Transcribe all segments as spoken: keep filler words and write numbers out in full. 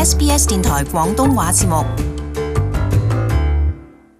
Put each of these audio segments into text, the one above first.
S B S 電台廣東話節目。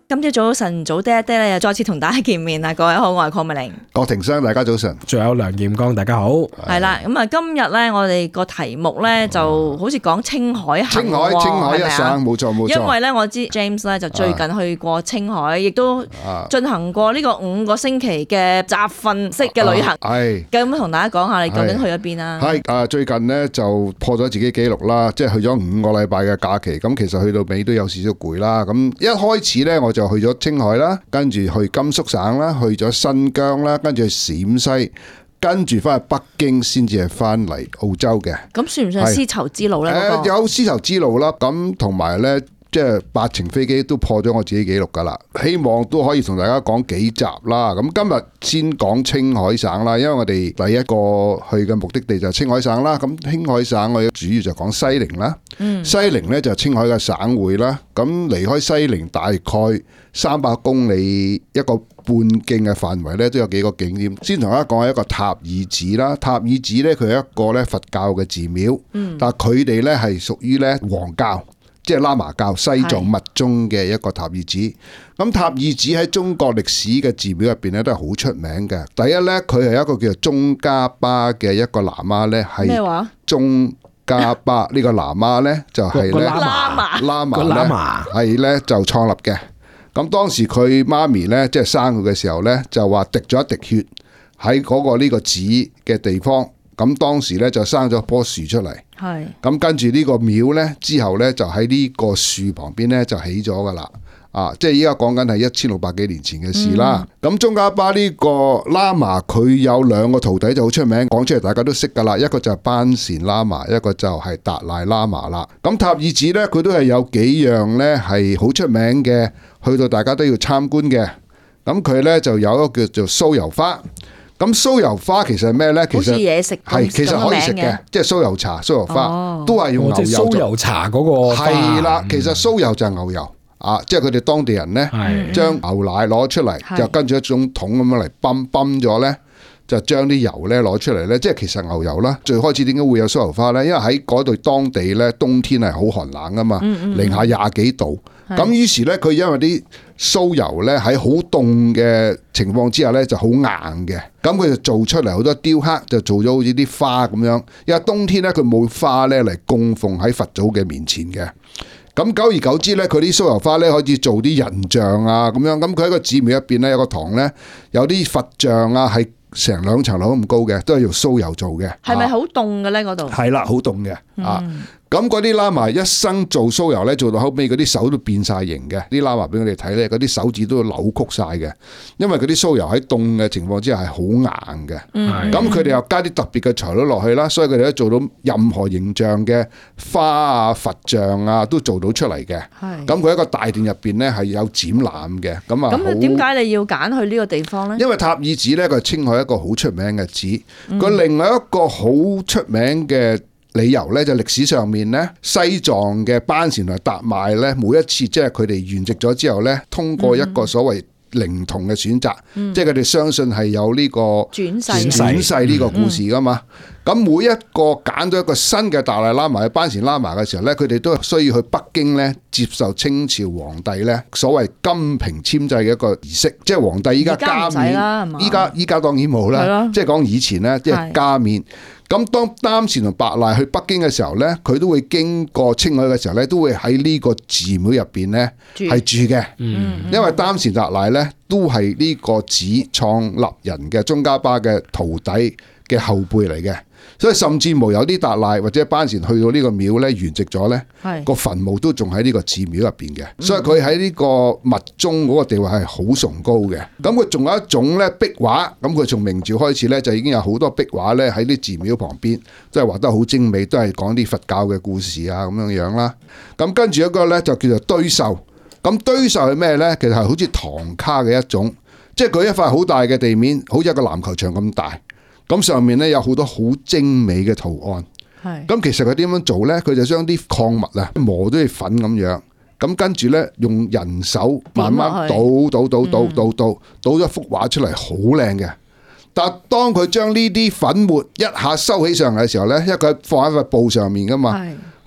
今朝早晨早啲一啲咧，又再次同大家見面啦！各位好，我係鄺美玲，郭庭生，大家早晨。仲有梁劍剛，大家好。係啦，咁啊，今日咧，我哋個題目咧就好似講青海行，青海，青海一省，冇錯冇錯。因為咧，我知 James 咧就最近去過青海，亦都進行過呢個五個星期嘅集訓式嘅旅行。係咁同大家講下，你究竟去咗邊啊？係啊，最近呢就破咗自己紀錄啦，即係去咗五個禮拜嘅假期。咁其實去到尾都有少少攰啦。咁一開始咧，我就去咗青海啦，跟住去甘肅省啦，去咗新疆啦，跟住去陝西，跟住翻去北京，先至係翻嚟澳洲嘅。咁算唔算係絲綢之路咧？誒，有絲綢之路啦，咁同埋咧，即係八程飛機都破咗我自己紀錄噶啦。希望都可以同大家講幾集啦。咁今日先講青海省啦，因為我哋第一個去嘅目的地就係青海省啦。咁青海省我哋主要就講西寧啦。嗯、西寧咧就係青海嘅省會啦。咁離開西寧大概三百公里一個半徑嘅範圍咧，都有幾個景點。先同大家講一個塔爾寺啦。塔爾寺咧，佢係一個咧佛教嘅寺廟，嗯、但係佢哋咧係屬於咧黃教，即係喇嘛教西藏密宗嘅一個塔爾寺。咁塔爾寺喺中國歷史嘅寺廟入邊咧都係好出名嘅。第一咧，佢係一個叫做宗喀巴嘅一個喇嘛咧，係咩話？宗喀巴呢個喇嘛咧就係咧喇嘛喇嘛咧係咧就創立嘅。咁當時佢媽咪咧，即係生佢嘅時候咧，就話滴咗一滴血喺嗰個呢個寺嘅地方。咁當時咧就生咗棵樹出嚟。係。咁跟住呢個廟咧，之後咧就喺呢個樹旁邊咧就起咗噶啦。啊，即係依家講緊係一千六百幾年前嘅事啦。咁宗喀巴呢個喇嘛佢有兩個徒弟就好出名，講出嚟大家都識噶啦。一個就係班禪喇嘛，一個就係達賴喇嘛啦。咁塔爾寺咧，佢都係有幾樣咧係好出名嘅。去到大家都要參觀嘅，咁佢咧就有一個叫做酥油花。咁酥油花其實係咩咧？其實嘢食係其實可以食嘅，即係酥油茶、酥油花、哦、都係用牛油。即係酥油茶嗰個花。係啦，其實酥油就係牛油啊，即係佢哋當地人咧，將牛奶攞出嚟，就跟住一種桶咁樣嚟泵泵咗咧，就將啲油咧攞出嚟咧，即係其實牛油啦。最開始點解會有酥油花咧？因為喺嗰度當地咧冬天係好寒冷噶嘛，零下廿幾度。咁於是咧，佢因為啲酥油咧喺好凍嘅情況之下咧就好硬嘅，咁佢就做出嚟好多雕刻，就做咗好似啲花咁樣。因為冬天咧佢冇花咧嚟供奉喺佛祖嘅面前嘅。咁久而久之咧，佢啲酥油花咧可以做啲人像啊咁樣。咁佢喺個寺廟入邊咧有個堂咧，有啲佛像啊係成兩層樓咁高嘅，都係用酥油做嘅。係咪好凍嘅咧？嗰度係啦，好凍嘅啊。咁嗰啲喇嘛一生做酥油咧，做到後尾嗰啲手都變晒形嘅。啲喇嘛俾我哋睇咧，嗰啲手指都扭曲晒嘅，因為嗰啲酥油喺凍嘅情況之下係好硬嘅。咁佢哋又加啲特別嘅材料落去啦，所以佢哋都做到任何形象嘅花啊、佛像啊都做到出嚟嘅。咁佢一個大殿入邊咧係有展覽嘅。咁啊，咁點解你要揀去呢個地方咧？因為塔爾寺咧，佢係青海一個好出名嘅寺。佢、嗯、另外一個好出名嘅理由咧，就歷史上面咧，西藏嘅班禪同達賴咧，每一次即係佢哋圓寂咗之後咧，通過一個所謂靈童嘅選擇，嗯、即係佢哋相信係有呢個轉世轉世呢個故事噶嘛。咁、嗯、每一個揀咗一個新嘅達賴喇嘛、班禪喇嘛嘅時候咧，佢哋都需要去北京咧接受清朝皇帝咧所謂金瓶簽制嘅一個儀式，即係皇帝依家加冕，依家依家當然冇啦，即係講以前咧，即係加冕。咁當班禪同達賴去北京嘅時候咧，佢都會經過青海嘅時候咧，都會喺呢個寺廟入邊咧係住嘅。嗯，因為班禪達賴咧都係呢個寺創立人嘅宗喀巴嘅徒弟嘅後輩嚟嘅，所以甚至無有啲達賴或者班禪去到呢個廟咧圓寂咗咧，個墳墓都仲喺呢個寺廟入邊嘅，所以佢喺呢個密宗嗰個地位係好崇高嘅。咁佢仲有一種咧壁畫，咁佢從明朝開始咧就已經有好多壁畫咧喺啲寺廟旁邊，都係畫得好精美，都係講啲佛教嘅故事啊咁樣樣啦。咁跟住一個咧就叫做堆獸，咁堆獸係咩咧？其實係好似唐卡嘅一種，即係佢一塊好大嘅地面，好似一個籃球場咁大。咁上面咧有好多好精美嘅圖案，咁其實佢點樣做咧？佢就將啲礦物啊磨到似粉咁樣，咁跟住咧用人手慢慢倒倒倒倒倒倒倒咗幅畫出嚟，好靚嘅。但係當佢將呢啲粉末一下收起上嚟嘅時候咧，因為佢放喺塊布上面噶嘛，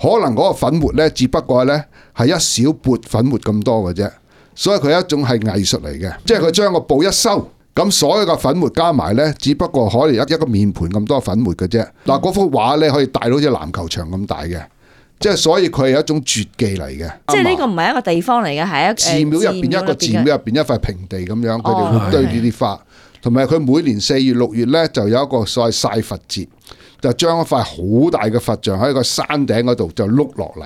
可能嗰個粉末咧，只不過咧係一小撥粉末咁多嘅啫，所以佢係一種係藝術嚟嘅，即係佢將個布一收，咁所有嘅粉末加埋咧，只不過可能一一個面盤咁多粉末嘅啫。嗱，嗰幅畫咧可以大到好似籃球場咁大嘅。即係所以佢係一種絕技嚟嘅，即係呢個唔係一個地方嚟嘅，係一寺廟入邊一個寺廟入邊一塊平地咁樣，佢哋會堆呢啲花，同埋佢每年四月六月咧就有一個所謂晒佛節，就將一塊好大嘅佛像喺個山頂嗰度就碌落嚟，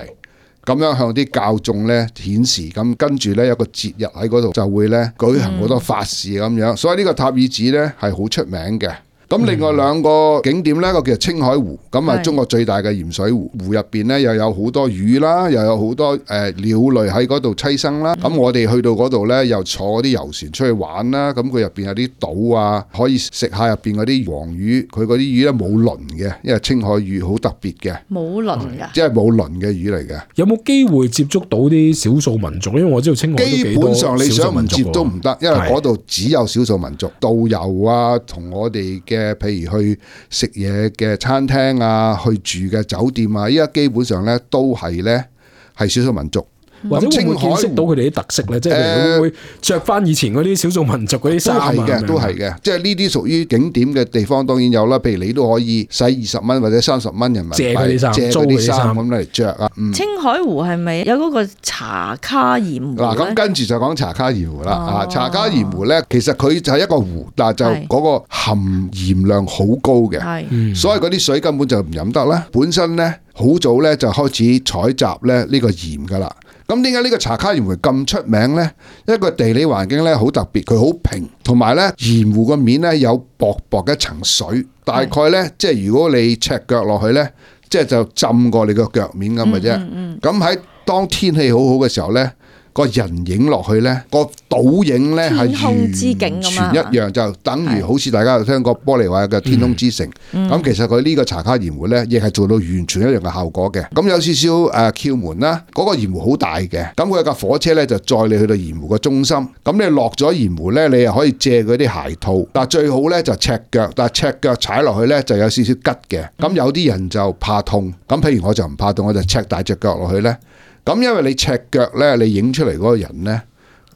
咁樣向啲教眾咧顯示，咁跟住咧有個節日喺嗰度就會咧舉行好多法事咁樣，所以呢個塔爾寺咧係好出名嘅。咁另外兩個景點呢，一個叫青海湖，咁啊中國最大嘅鹽水湖，湖入邊呢又有好多魚啦，又有好多誒鳥類喺嗰度棲生啦。咁、嗯、我哋去到嗰度呢，又坐嗰啲遊船出去玩啦。咁佢入邊有啲島啊，可以食下入邊嗰啲黃魚，佢嗰啲魚呢冇鱗嘅，因為青海魚好特別嘅，冇鱗㗎，即係冇鱗嘅魚嚟嘅。有冇機會接觸到啲少數民族？因為我知道青海都幾多少數民族。基本上你想唔接都唔得，因為嗰度只有少數民族。導遊啊，同我哋嘅譬如去食嘢嘅餐廳啊，去住嘅酒店啊，依家基本上咧都係咧係少數民族。或者會唔會見識到佢哋啲特色咧？即係會唔會着翻以前嗰啲少數民族嗰啲衫啊？都係嘅，都係嘅。即係呢啲屬於景點嘅地方，當然有啦。譬如你都可以使二十蚊或者三十蚊人民幣借嗰啲衫，租嗰啲衫咁嚟着啊。青海湖係咪有嗰個茶卡鹽湖？嗱，咁跟住就講茶卡鹽湖啦。啊，茶卡鹽湖咧，其實佢就係一個湖，但係就嗰個含鹽量好高嘅，所以嗰啲水根本就唔飲得啦。本身咧好早咧就開始採集咧呢個鹽噶啦。咁點解呢個茶卡鹽湖咁出名呢？一個地理環境咧好特別，佢好平，同埋咧鹽湖個面咧有薄薄嘅一層水，大概咧即係如果你赤腳落去咧，即係就浸過你個腳面咁嘅啫。咁喺、嗯嗯嗯、當天氣好好嘅時候咧，個人影落去咧，個倒影咧係完全一樣，就等於好似大家有聽過玻璃話嘅天空之城。咁、嗯、其實佢呢個茶卡鹽湖咧，亦係做到完全一樣嘅效果嘅。咁有少少誒竅門啦，嗰、那個鹽湖好大嘅。咁佢有架火車咧就載你去到鹽湖嘅中心。咁你落咗鹽湖咧，你又可以借嗰啲鞋套，但係最好咧就赤腳，但係赤腳踩落去咧就有少少吉嘅。咁有啲人就怕痛，咁譬如我就唔怕痛，我就赤大隻腳落去咧。咁因為你赤腳咧，你影出嚟嗰個人咧，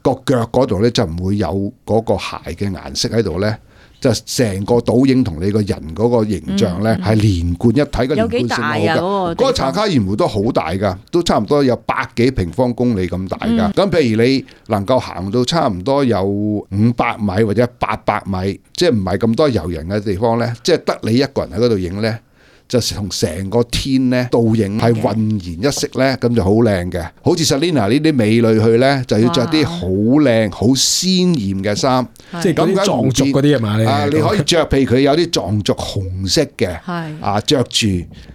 個腳嗰度咧就唔會有嗰個鞋嘅顏色喺度咧，就成個倒影同你個人嗰個形象咧係連貫一體嘅連貫性好嘅。嗰個茶卡鹽湖都好大噶，都差唔多有百幾平方公里咁大噶。咁、嗯、譬如你能夠行到差唔多有五百米或者八百米，即係唔係咁多遊人嘅地方咧，即係得你一個人喺嗰度影咧，就同成個天咧倒影係渾然一色咧，咁就好靚嘅。好似 Selina 呢啲美女去咧，就要着啲好靚、好鮮豔嘅衫，即係咁藏族嗰啲係嘛？啊，你可以着，譬如佢有啲藏族紅色嘅，啊着住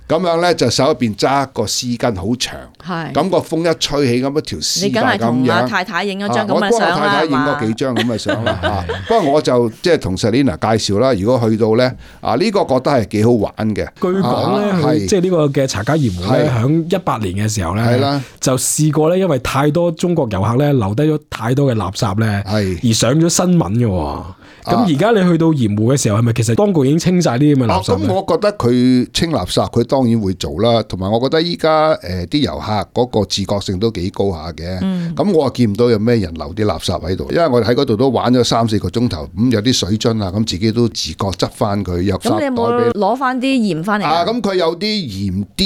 咁樣咧，就手入邊揸個絲巾好長，咁個風一吹起咁一條絲帶咁樣。你梗係同阿太太影咗張咁嘅相啦，我幫太太影咗幾張咁嘅相啦。啊，不過我就即係同 Selina 介紹啦。如果去到咧，啊呢個覺得係幾好玩嘅。講咧，啊、即係呢個嘅茶卡鹽湖咧，喺一八年嘅時候咧，就試過咧，因為太多中國遊客咧留低咗太多嘅垃圾咧，而上咗新聞嘅。咁而家你去到鹽湖嘅時候，係咪其實當局已經清晒啲咁嘅垃圾？咁、啊、我覺得佢清垃圾，佢當然會做啦。同埋我覺得依家誒啲遊客嗰個自覺性都幾高下嘅。咁、嗯、我見唔到有咩人留啲垃圾喺度，因為我哋喺嗰度都玩咗三四個鐘頭，咁有啲水樽啊，咁自己都自覺執翻佢入沙袋俾。咁你有冇攞翻啲鹽翻嚟啊？咁佢有啲鹽雕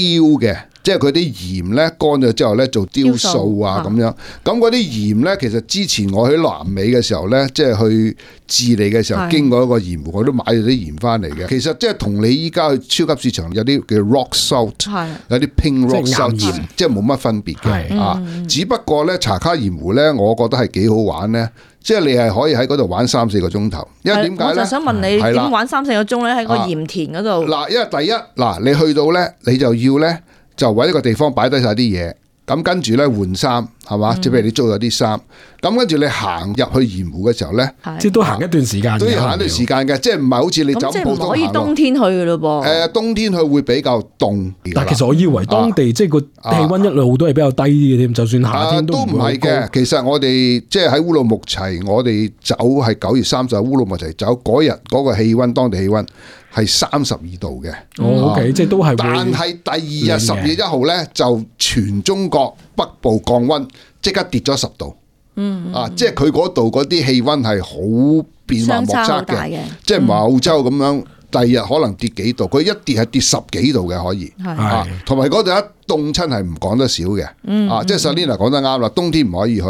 嘅。即係佢啲鹽咧乾咗之後咧做雕塑啊咁樣，咁嗰啲鹽咧其實之前我喺南美嘅時候咧，即係去智利嘅時候經過一個鹽湖，我都買咗啲鹽翻嚟嘅。其實即係同你依家去超級市場有啲叫 rock salt， 有啲 pink rock salt 鹽，即係冇乜分別嘅啊。只不過咧茶卡鹽湖咧，我覺得係幾好玩咧。即係你係可以喺嗰度玩三四個鐘頭，因為點解咧？我就想問你點玩三四個鐘咧？喺個鹽田嗰度。嗱，因為第一嗱，你去到咧，你就要咧。就揾一個地方擺低晒啲嘢，咁跟住咧換衫，係嘛？即係譬如你租咗啲衫，咁跟住你行入去鹽湖嘅時候咧，即係都行一段時間，都要行一段時間嘅，即係唔係好似你走普通行。咁即係唔可以冬天去嘅咯噃。誒，冬天去會比較凍。但其實我以為當地、啊、即係個氣温一路都係比較低啲嘅添，就算夏天都唔係嘅。其實我哋即係喺烏魯木齊，我哋走係九月三十，烏魯木齊走嗰日嗰個氣温，當地氣温係三十二度嘅。哦，OK，即係都係。但係第二日十月一號咧，就全中國北部降温，即刻跌咗十度。嗯，啊，即係佢嗰度嗰啲氣温係好變幻莫測嘅，即係唔係澳洲咁樣。第二日可能跌幾度，佢一跌係跌十幾度嘅可以，啊，同埋嗰度一凍親係唔講得少嘅，嗯、啊，即係 Selina 講得啱啦，冬天唔可以去。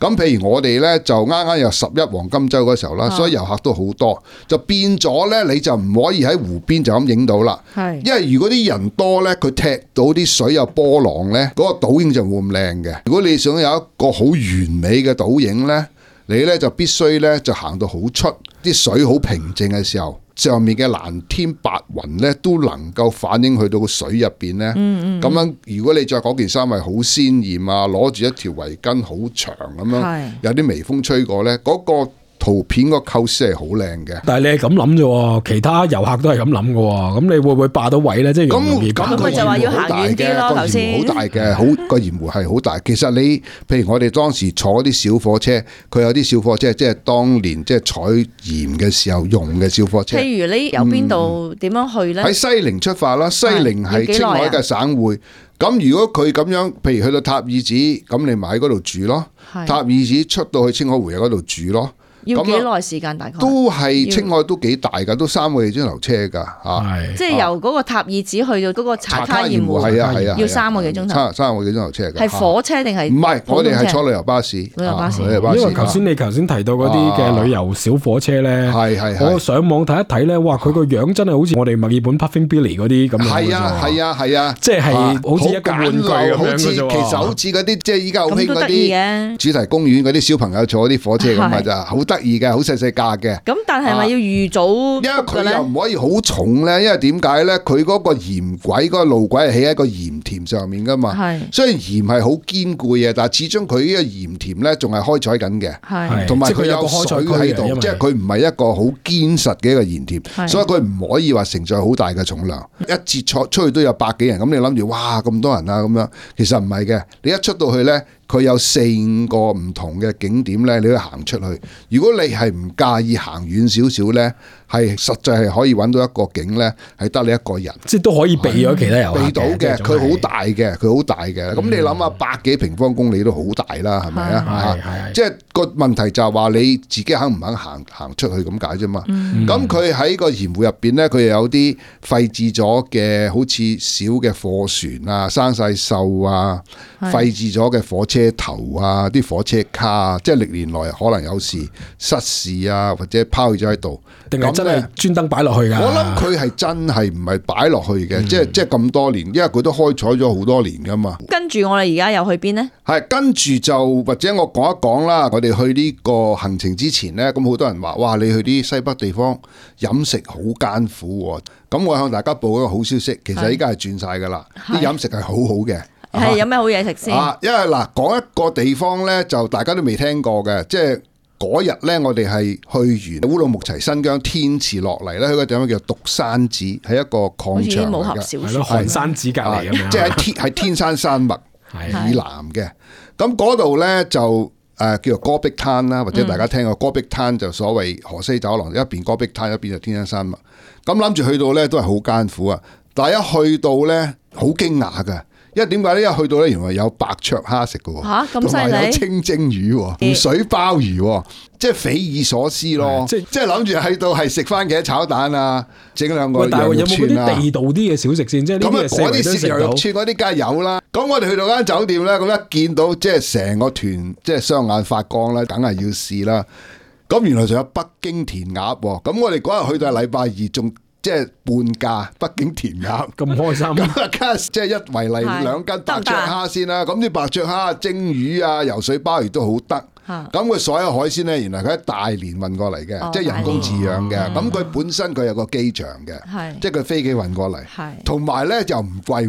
咁譬如我哋咧就啱啱有十一黃金週嗰時候啦，所以遊客都好多，就變咗咧你就唔可以喺湖邊就咁影到啦，係，因為如果啲人多咧，佢踢到啲水有波浪咧，嗰、嗰個倒影就冇咁靚嘅。如果你想有一個好完美嘅倒影咧，你咧就必須咧就行到好出，啲水好平靜嘅時候。上面嘅藍天白雲咧，都能夠反映去到個水入邊咧。咁、嗯嗯、樣如果你着嗰件衫係好鮮豔啊，攞住一條圍巾好長咁樣，有啲微風吹過咧，嗰、嗰個圖片個構思係好靚嘅。但係你係咁諗啫，其他遊客都係咁諗嘅。咁你會唔會霸到位咧？即係咁咁佢就話要行遠啲咯。頭先好大嘅，好個鹽湖係好大。其實你譬如我哋當時坐啲小火車，佢有啲小火車，即係當年即係採鹽嘅時候用嘅小火車。譬如你由邊度點樣去咧？喺、嗯、西寧出發啦，西寧係青海嘅省會。咁如果佢咁樣，譬如去到塔爾寺，咁你咪喺嗰度住咯。塔爾寺出到去青海湖喺嗰度住咯。要幾耐時間？大概都係青海都幾大噶，都三個幾鐘頭車噶吓。即係由嗰個塔爾寺去到嗰個茶卡鹽湖，係啊係啊，要三個幾鐘頭。三個幾鐘頭車嘅。係火車定係？唔係，我哋係坐旅遊巴士。旅遊巴士。因為頭先你頭先提到嗰啲嘅旅遊小火車咧，係係。我上網睇一睇咧，哇！佢個樣真係好似我哋墨爾本 Puffing Billy 嗰啲咁樣。係啊係啊係啊，即係好似一個玩具咁樣嘅啫。其實好似嗰啲即係依家好興嗰啲主題公園嗰啲小朋友坐嗰啲火車咁啊，咋好得意嘅，好細細。價嘅，咁但係咪要預早？因為佢又唔可以好重咧，因為點解咧？佢嗰個鹽軌嗰個路軌係起喺個鹽田上面噶嘛，係。雖然鹽係好堅固嘅，但係始終佢呢個鹽田咧仲係開採緊嘅，係。同埋佢有水喺度，即係佢唔係一個好堅實嘅一個鹽田，所以佢唔可以話承載好大嘅重量。一節出出去都有百幾人，咁你諗住哇咁多人啊咁樣，其實唔係嘅。你一出到去咧。佢有四五個唔同嘅景點咧，你都行出去。如果你係唔介意行遠少少咧，係實際係可以揾到一個景咧，係得你一個人，即係都可以避咗其他遊客嘅。避到嘅，佢好大嘅，佢好大嘅。咁、嗯、你諗下，百幾平方公里都好大啦，係咪啊？係即係個問題就係話你自己肯唔肯行行出去咁解啫嘛。咁佢喺個鹽湖入邊咧，佢又有啲廢置咗嘅，好似小嘅貨船啊，生晒鏽啊，廢置咗嘅火車頭啊，啲火車卡啊，即係歷年來可能有時失事啊，或者拋咗喺度，定係真係專登擺落去噶？我諗佢係真係唔係擺落去嘅、嗯，即係即係咁多年，因為佢都開採咗好多年噶嘛。跟住我哋而家又去邊呢？係跟住就或者我講一講啦。我哋去呢個行程之前呢，咁好多人話：哇，你去啲西北地方飲食好艱苦。咁我向大家報一個好消息，其實依家係轉晒噶啦，啲飲食係好好嘅。係有咩好嘢食先？啊，因為嗱，講一個地方咧，就大家都未聽過嘅，即係嗰日咧，我哋係去完烏魯木齊新疆天池落嚟咧，去個地方叫獨山寺，係一個礦場嚟嘅，係咯，寒山寺隔籬咁樣，即係喺天係天山山脈以南嘅。咁嗰度咧就誒、呃、叫做戈壁灘啦，或者大家聽過戈壁灘就所謂河西走廊，一邊戈壁灘，一邊就天山山脈。咁諗住去到咧都係好艱苦啊！但係一去到咧，好驚訝㗎。因為點解呢？一去到咧，原來有白灼蝦食嘅，吓咁犀利，同埋有清蒸魚、湖水鮑魚，即係匪夷所思咯。即係即係諗住去到係食番茄炒蛋啊，整兩個羊肉串啊。但係有冇嗰啲地道啲嘅小食先？即係咁啊，嗰啲豉油肉串嗰啲梗係有啦。咁我哋去到間酒店咧，咁一見到即係成個團，即係雙眼發光啦，梗係要試啦。咁原來仲有北京填鴨，咁我哋嗰日去到係禮拜二，仲即係半價北京填鴨，咁開心。咁啊，即係一圍嚟兩斤白灼蝦先啦。咁啲白灼蝦、蒸魚啊、游水鮑魚都好得。咁佢所有海鮮咧，原來佢喺大連運過嚟嘅，即係人工飼養嘅。咁佢本身佢有個機場嘅，即係佢飛機運過嚟，同埋咧就唔貴。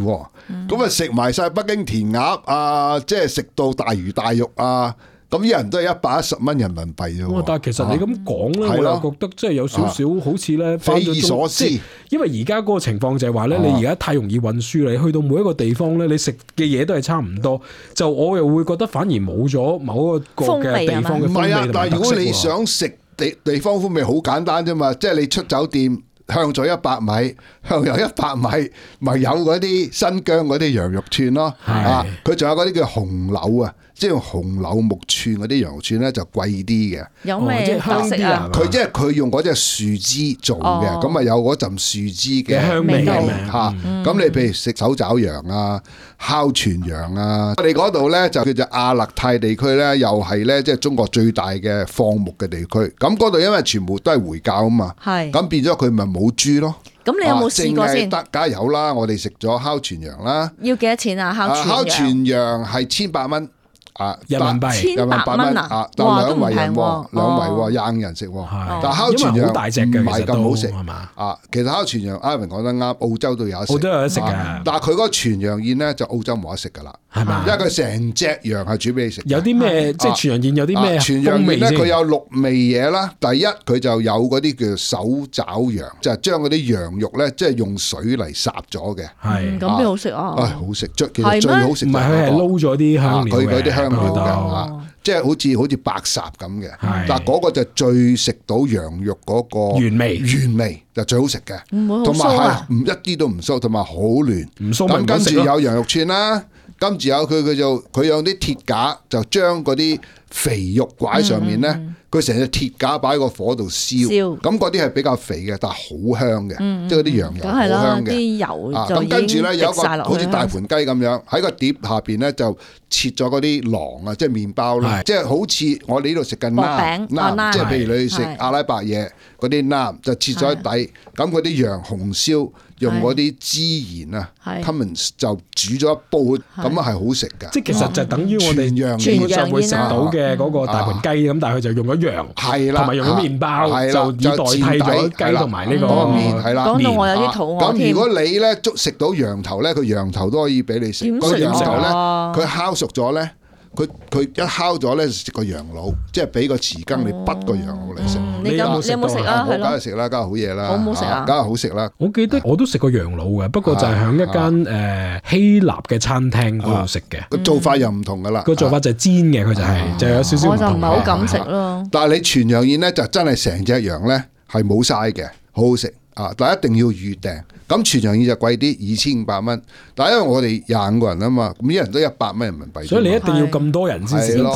咁啊食埋晒北京填鴨啊，即係食到大魚大肉啊！咁啲人都係一百一十蚊人民幣啫喎。但係其實你咁講咧，我又覺得即係有少少好似咧匪夷所思。因為而家嗰個情況就係話咧，你而家太容易運輸，你去到每一個地方咧，你食嘅嘢都係差唔多。就我又會覺得反而冇咗某一個嘅地方嘅風味。唔係啊，但係如果你想食地地方風味，好簡單啫嘛，即係你出酒店。向左一百米，向右一百米，咪有嗰啲新疆嗰啲羊肉串咯。啊，佢仲有嗰啲叫紅柳啊，即係用紅柳木串嗰啲羊肉串咧就貴啲嘅。有咩特色啊？佢即係佢用嗰隻樹枝做嘅，咁啊有嗰陣樹枝嘅香味嚇。咁你譬如食手爪羊啊、烤全羊啊，我哋嗰度咧就叫做亞勒泰地區咧，又係咧即係中國最大嘅放牧嘅地區。咁嗰度因為全部都係回教啊嘛，咁變咗佢咪冇豬咯。咁你有冇試過先？得，梗係有啦。我哋食咗烤全羊啦。要幾多錢啊？烤全羊？烤全羊係千八蚊啊，人民幣。千八蚊啊！但兩圍人喎，兩圍喎，廿人食喎。但烤全羊唔係咁好食係嘛？啊，其實烤全羊，Ivan講得啱，澳洲都有得食。澳洲有得食嘅，但係佢嗰個全羊宴咧，就澳洲冇得食㗎啦。係嘛？因為佢成隻羊係煮俾你食。有啲咩即係全羊宴有啲咩全羊宴咧？佢有六味嘢啦。第一佢就有嗰啲叫手爪羊，就係將嗰啲羊肉咧，即係用水嚟烚咗嘅。係咁邊好食啊？唉，好食，最其實最好食。唔係佢係撈咗啲香料嘅。佢嗰啲香料嘅，即係好似好似白烚咁嘅。但係嗰個就最食到羊肉嗰個原味，原味就最好食嘅。同埋係唔一啲都唔酥，同埋好嫩。唔酥咁跟住有羊肉串啦。跟住有佢佢就佢用啲鐵架就將嗰啲肥肉掛喺上面咧，佢成隻鐵架擺喺個火度燒，咁嗰啲係比較肥嘅，但係好香嘅，嗯、即係嗰啲羊油好香嘅。啲油咁跟住咧有一個好似大盤雞咁樣喺個碟下邊咧就切咗嗰啲囊啊，即係麵包啦，即係好似我哋呢度食緊腩腩，即係譬如你去食阿拉伯嘢嗰啲腩就切咗喺底，咁嗰啲羊紅燒。用嗰啲孜然啊 ，Cummins 就煮咗一煲，咁啊係好食㗎。即係其實就等於我哋羊基本上會食到嘅嗰個大盤雞咁，但係佢就用咗羊，同埋用咗麵包，就以代替咗雞同埋呢個麵。係啦，講到我有啲肚餓添。咁如果你咧捉食到羊頭咧，佢羊頭都可以俾你食。點食啊？佢烤熟咗咧。佢佢一烤咗咧，食個羊腦，即係俾個匙羹你滗個羊腦嚟食。你有冇你有冇食啊？係咯，梗係食啦，梗係好嘢啦。好唔好食啊？梗係好食啦。我記得我都食過羊腦嘅，不過就係喺一間誒希臘嘅餐廳嗰度食嘅。個做法又唔同噶啦。個做法就係煎嘅，佢就係就有少少唔同。我就唔係好敢食咯。但係你全羊宴咧，就真係成隻羊咧係冇嘥嘅，好好食啊！但係一定要預訂。咁全羊宴就貴啲，二千五百蚊。但係因為我哋廿五個人啊嘛，咁一人都一百蚊人民幣。所以你一定要咁多人先至得啦。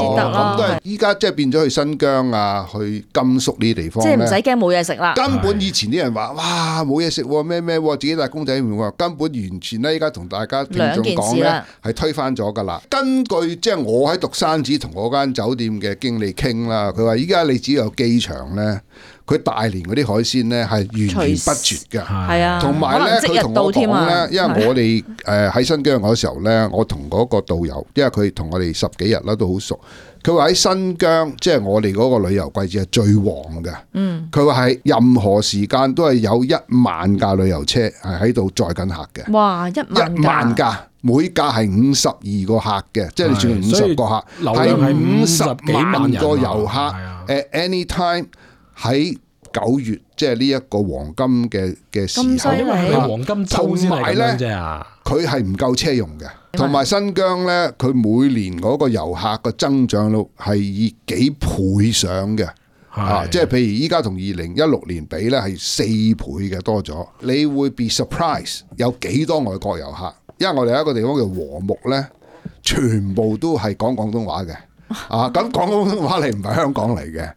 咁都係依家即係變咗去新疆啊，去甘肅呢啲地方。即係唔使驚冇嘢食啦。根本以前啲人話：哇，冇嘢食咩咩，自己帶公仔麵喎。根本完全咧，依家同大家聽眾講咧，係推翻咗㗎啦。根據即係我喺獨山子同嗰間酒店嘅經理傾啦，佢話依家你只要有機場咧。佢大連嗰啲海鮮咧係源源不絕㗎，係啊，同埋咧佢同我講咧，因為我哋誒喺新疆嗰時候咧，我同嗰個導遊，因為佢同我哋十幾日啦都好熟，佢話喺新疆即係我哋嗰個旅遊季節係最旺嘅，嗯，佢話係任何時間都係有一萬架旅遊車係喺度載緊客嘅，哇，一萬一萬架，每架係五十二個客嘅，即係你算五十個客，係五十萬個遊客誒 anytime。喺九月，即係呢一個黃金嘅嘅時候，因為係黃金周先係咁樣啫啊！佢係唔夠車用嘅，同埋新疆咧，佢每年嗰個遊客嘅增長率係以幾倍上嘅，啊！即係譬如依家同二零一六年比咧，係四倍嘅多咗。你會 be surprise 有幾多外國遊客？因為我哋有一個地方叫和睦咧，全部都係講廣東話嘅。啊，咁講廣東話你唔係香港嚟嘅，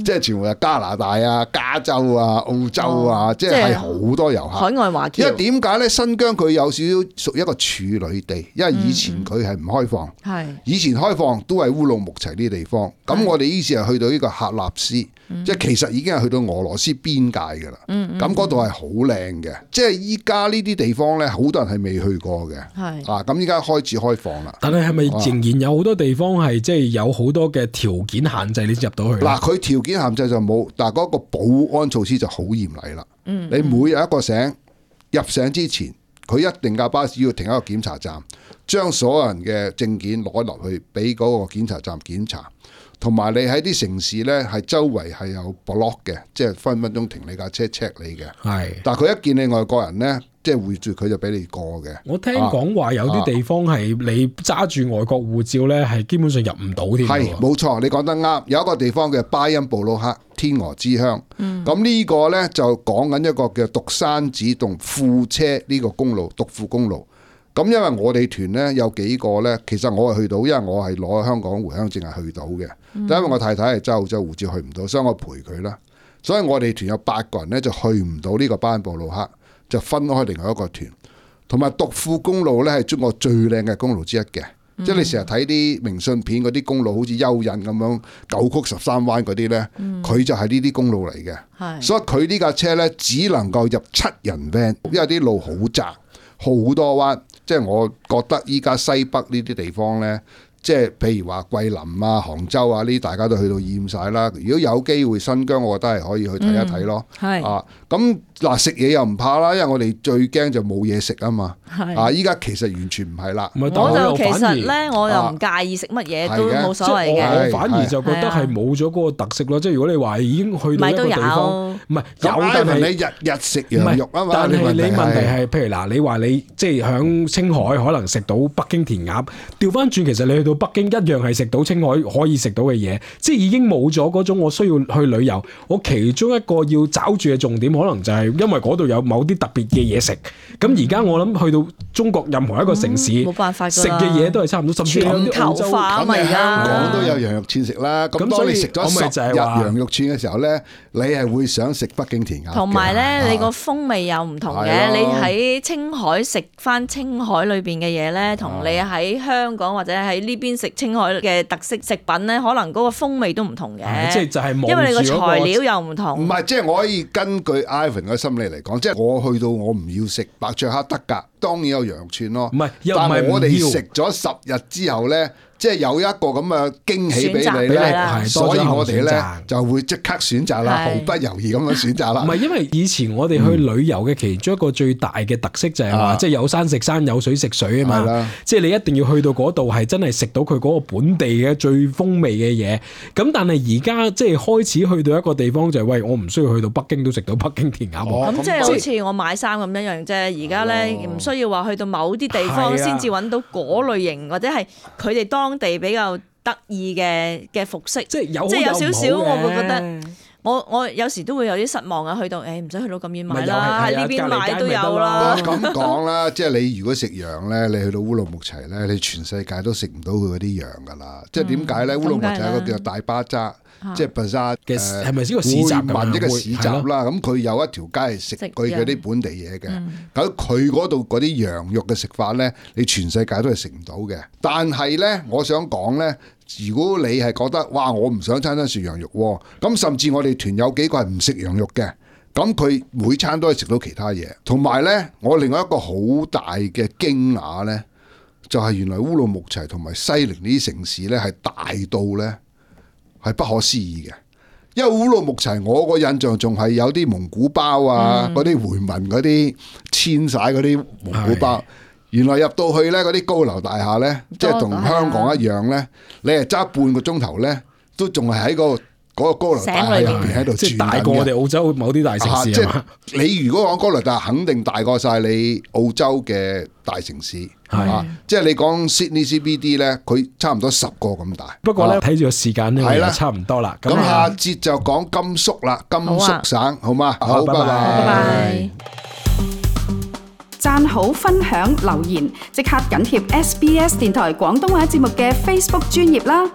即係全部係加拿大啊、加州啊、澳洲啊，哦、即係好多遊客。海外華僑。因為點解咧？新疆佢有少少屬於一個處女地，因為以前佢係唔開放，係、嗯、以前開放都係烏魯木齊呢啲地方。咁我哋於是係去到呢個喀納斯，嗯、即係其實已經係去到俄羅斯邊界噶啦。咁嗰度係好靚嘅，即係依家呢啲地方咧，好多人係未去過嘅。係啊，咁依家開始開放啦。但係係咪仍然有好多地方係即係有好多嘅條件限制你入到去？嗱，佢條件限制就冇，但係嗰個保安措施就好嚴厲啦。嗯，你每日一個醒入醒之前，佢一定架巴士要停一個檢查站，將所有人嘅證件攞落去俾嗰個檢查站檢查。同埋你喺啲城市咧，係周圍係有 block 嘅，即係分分鐘停你架車 check 你嘅。係，但係佢一見你外國人咧，即係會住佢就俾你過嘅。我聽講話有啲地方係你揸住外國護照咧，係基本上入唔到添。係，冇錯，你講得啱。有一個地方嘅巴音布魯克，天鵝之鄉。咁、嗯、呢個咧就講緊一個叫獨山子同庫車呢個公路，獨庫公路。咁因為我哋團咧有幾個咧，其實我係去到，因為我係攞香港回鄉證係去到嘅。嗯、但因為我太太係揸澳洲護照去唔到，所以我陪佢啦。所以我哋團有八個人咧就去唔到呢個巴音布魯克，就分開另外一個團。同埋獨庫公路咧係中國最靚嘅公路之一嘅，嗯、即係你成日睇啲明信片嗰啲公路好似蚯蚓咁樣九曲十三彎嗰啲咧，佢、嗯、就係呢啲公路嚟嘅。是所以佢呢架車咧只能夠入七人 van，因為啲路好窄，好多彎。即係我覺得依家西北呢啲地方呢，即係譬如話桂林啊、杭州啊呢啲，大家都去到厭晒啦。如果有機會新疆，我覺得係可以去睇一睇咯。係、嗯、啊，咁嗱食嘢又唔怕啦，因為我哋最驚就冇嘢食啊嘛。係啊，依家其實完全唔係啦。我就其實呢，我又唔介意食乜嘢都冇所謂嘅。我反而就覺得係冇咗嗰個特色咯。即係如果你話已經去到一個地方，唔係有，但係你日日食羊肉啊嘛。但係你問題係，譬如嗱，你話你即係響青海可能食到北京填鴨，調翻轉其實你去到北京一樣係食到青海可以食到嘅嘢，即係已經冇咗嗰種我需要去旅遊。我其中一個要找住嘅重點，可能就係因為嗰度有某啲特別嘅嘢食。咁而家我諗去到中國任何一個城市，冇辦法食嘅嘢都係差唔多，甚至有啲澳洲咁咪香港都有羊肉串食啦。咁當你食咗十日羊肉串嘅時候咧，你係會想食北京填鴨。同埋咧，你個風味又唔同嘅。你喺青海食翻青海裏邊嘅嘢咧，同你喺香港或者喺呢邊食青海嘅特色食品咧，可能嗰個風味都唔同嘅。即係就係因為你個材料又唔同。唔係，即係我可以根據 Ivan 嘅心理嚟講，即係我去到我唔要食白灼黑得㗎，當然有羊肉串咯。唔係，但係我哋食咗十日之後咧，即係有一個咁嘅驚喜俾你咧，所以我哋咧就會即刻選擇啦，毫不猶豫咁樣選擇啦。唔係，因為以前我哋去旅遊嘅其中一個最大嘅特色就係話，即係有山食山，有水食水啊嘛。即係你一定要去到嗰度係真係食到佢嗰個本地嘅最風味嘅嘢。咁但係而家即係開始去到一個地方就係，喂，我唔需要去到北京都食到北京填鴨。咁即係好似我買衫咁一樣啫。而家咧唔需要話去到某啲地方先至揾到嗰類型，或者係佢哋當地比較得意嘅嘅服飾，即係有即係有少少，我會覺得我我有時都會有啲失望啊！去到誒唔使去到咁遠買啦，喺呢邊買都有啦。咁講啦，即係你如果食羊咧，你去到烏魯木齊咧，你全世界都食唔到佢嗰啲羊噶啦。即係點解咧？烏魯木齊有個叫做大巴扎，即係 bazaar 嘅，係咪先個市集咁樣？會一個市集啦，咁佢有一條街係食佢嗰啲本地嘢嘅。咁佢嗰度嗰啲羊肉嘅食法咧，你全世界都係食唔到嘅。但係咧，我想講咧。如果你係覺得哇，我唔想餐餐食羊肉喎，咁甚至我哋團有幾個係唔食羊肉嘅，咁佢每餐都係食到其他嘢。同埋呢，我另外一個好大嘅驚訝呢，就係原來烏魯木齊同埋西寧呢啲城市呢係大到呢係不可思議嘅。因為烏魯木齊我個印象仲係有啲蒙古包啊，嗰啲、嗯、回民嗰啲遷徙嗰啲蒙古包。原來入到去咧，嗰啲高樓大廈咧，即係同香港一樣咧，你係揸半個鐘頭咧，都仲係喺個嗰個高樓大廈入邊喺度轉緊嘅。即係大過我哋澳洲某啲大城市。即係你如果講高樓大廈，肯定大過晒你澳洲嘅大城市。係啊，即係你講 Sydney C B D 咧，佢差唔多十個咁大。不過咧，睇住個時間咧，係啦，差唔多啦。咁下節就講甘肅啦，甘肅省，好嗎？好，拜拜。讚好、分享、留言，即刻緊貼 S B S 電台廣東話節目嘅 Facebook 專頁啦！